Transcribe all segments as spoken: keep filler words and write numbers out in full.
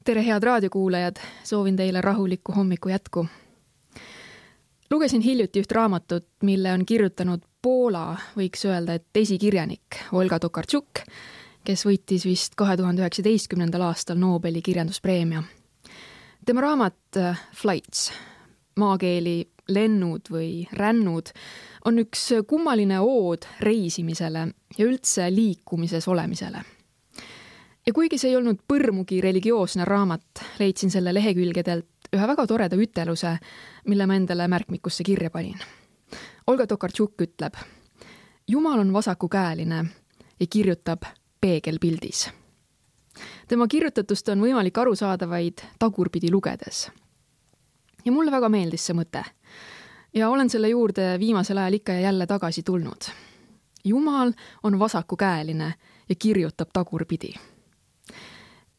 Tere, head raadiokuulajad, soovin teile rahulikku hommiku jätku. Lugesin hiljuti üht raamatut, mille on kirjutanud Poola, võiks öelda, et esikirjanik Olga Tokarczuk, kes võitis vist kahe tuhande üheksateistkümnendal aastal Nobeli kirjanduspreemia. Tema raamat Flights, maakeeli lennud või rännud, on üks kummaline ood reisimisele ja üldse liikumises olemisele. Ja kuigi see ei olnud põrmugi religioosne raamat, leidsin selle lehekülgedelt ühe väga toreda üteluse, mille ma endale märkmikusse kirja panin. Olga Tokarczuk ütleb, Jumal on vasakukäeline ja kirjutab peegelpildis. Tema kirjutatust on võimalik aru saada vaid tagurpidi lugedes. Ja mulle väga meeldis see mõte. Ja olen selle juurde viimasel ajal ikka ja jälle tagasi tulnud. Jumal on vasakukäeline ja kirjutab tagurpidi.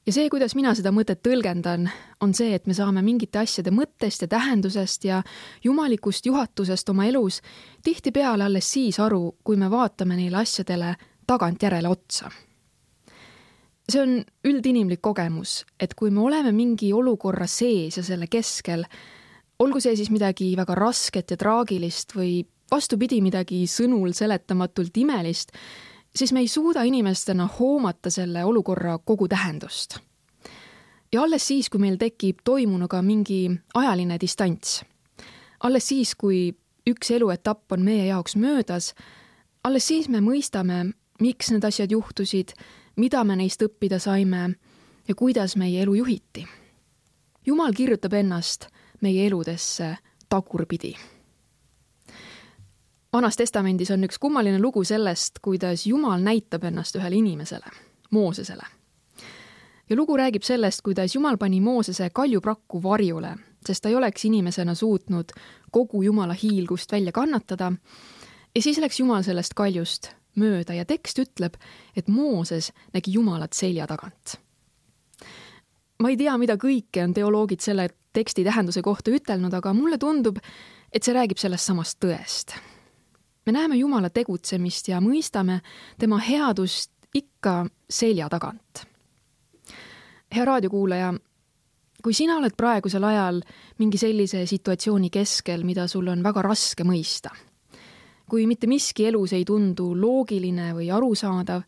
Ja see, kuidas mina seda mõtet tõlgendan, on see, et me saame mingite asjade mõttest ja tähendusest ja jumalikust juhatusest oma elus tihtipeale alles siis aru, kui me vaatame neile asjadele tagantjärele otsa. See on üldinimlik kogemus, et kui me oleme mingi olukorra sees ja selle keskel, olgu see siis midagi väga rasket ja traagilist või vastupidi midagi sõnul seletamatult imelist, siis me ei suuda inimestena hoomata selle olukorra kogu tähendust. Ja alles siis, kui meil tekib toimunuga mingi ajaline distants, alles siis, kui üks eluetapp on meie jaoks möödas, alles siis me mõistame, miks need asjad juhtusid, mida me neist õppida saime ja kuidas meie elu juhiti. Jumal kirjutab ennast meie eludesse tagurpidi. Vanas testamendis on üks kummaline lugu sellest, kuidas Jumal näitab ennast ühele inimesele, Moosesele. Ja lugu räägib sellest, kuidas Jumal pani Moosese kaljuprakku varjule, sest ta ei oleks inimesena suutnud kogu Jumala hiilgust välja kannatada. Ja siis läks Jumal sellest kaljust mööda ja tekst ütleb, et Mooses nägi Jumalat selja tagant. Ma ei tea, mida kõike on teoloogid selle teksti tähenduse kohta ütelnud, aga mulle tundub, et see räägib sellest samast tõest. Me näeme Jumala tegutsemist ja mõistame tema headust ikka selja tagant. Hea raadiokuulaja, kui sina oled praegusel ajal mingi sellise situatsiooni keskel, mida sul on väga raske mõista, kui mitte miski elus ei tundu loogiline või arusaadav,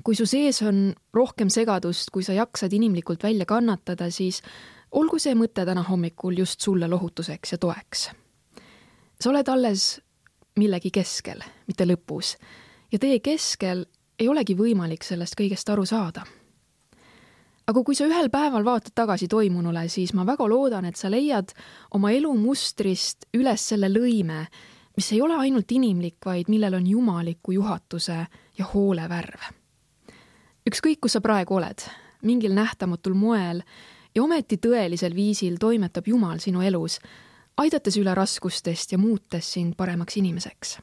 kui su sees on rohkem segadust, kui sa jaksad inimlikult välja kannatada, siis olgu see mõte täna hommikul just sulle lohutuseks ja toeks. Sa oled alles millegi keskel, mitte lõpus. Ja teie keskel ei olegi võimalik sellest kõigest aru saada. Aga kui sa ühel päeval vaatad tagasi toimunule, siis ma väga loodan, et sa leiad oma elu mustrist üles selle lõime, mis ei ole ainult inimlik, vaid millel on jumaliku juhatuse ja hoole värv. Ükskõik, kus sa praegu oled, mingil nähtamatul moel ja ometi tõelisel viisil toimetab Jumal sinu elus, aidates üle raskustest ja muutes sind paremaks inimeseks.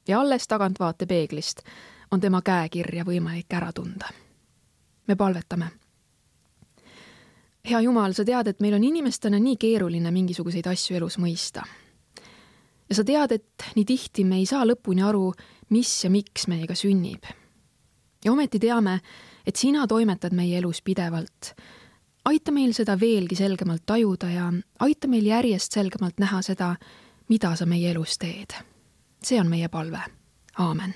Ja alles tagantvaate peeglist on tema käekirja võimalik ära tunda. Me palvetame. Hea Jumal, sa tead, et meil on inimestena nii keeruline mingisuguseid asju elus mõista. Ja sa tead, et nii tihti me ei saa lõpuni aru, mis ja miks meiega sünnib. Ja ometi teame, et sina toimetad meie elus pidevalt. Aita meil seda veelgi selgemalt tajuda ja aita meil järjest selgemalt näha seda, mida sa meie elus teed. See on meie palve. Aamen.